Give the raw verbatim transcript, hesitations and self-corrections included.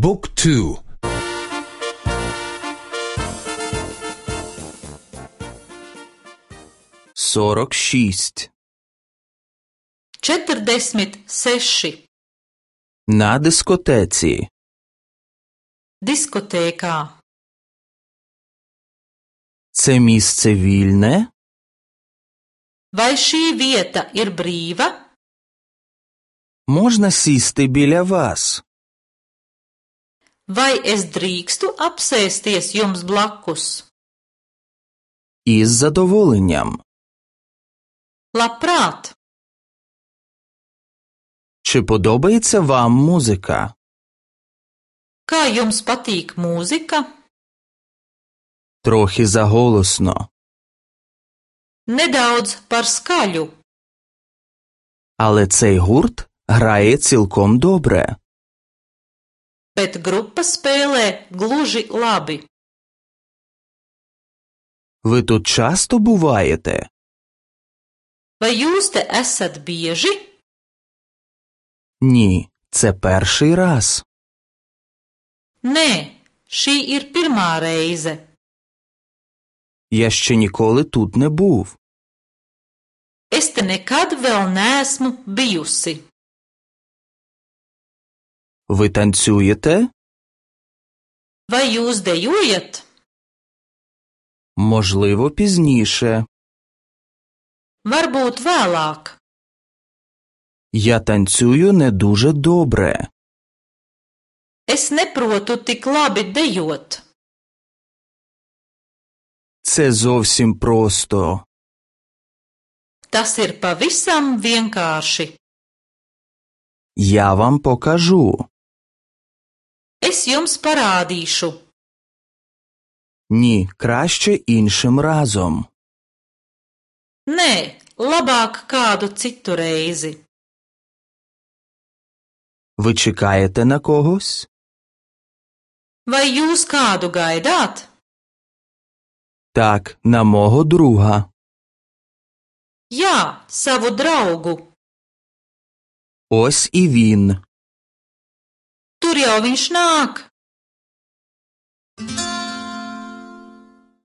บุ๊กทูсорок шість četrdesmit seši на дискотеці. diskotēkā. Це місце вільне? Vai šī vieta ir brīva? Можна сісти біля вас? Vai es drīkstu apsēsties jums blakus? Із задоволенням. Labprāt! Чи подобається вам музика? Kā jums patīk mūzika? Трохи заголосно. Nedaudz par skaļu. Але цей гурт грає цілком добре. Bet grupa spēlē gluži labi. Ви тут часто буваєте? Vai jūs te esat bieži? Ні, це перший раз. Nē, šī ir pirmā reize. Я ще ніколи тут не був. Es te nekad vēl neesmu bijusi. Ви танцюєте? Vai jūs dejojat? Можливо, пізніше. Varbūt vēlāk. Я танцюю не дуже добре. Es neprotu tik labi dejot. Це зовсім просто. Tas ir pavisam vienkārši. Я вам покажу. Es jums parādīšu. Ні, краще іншим разом. Nē, labāk kādu citu reizi. Ви чекаєте на когось? Vai jūs kādu gaidāt? Так, на мого друга. Jā, savu draugu. Ось і він. Tur jau viņš nāk.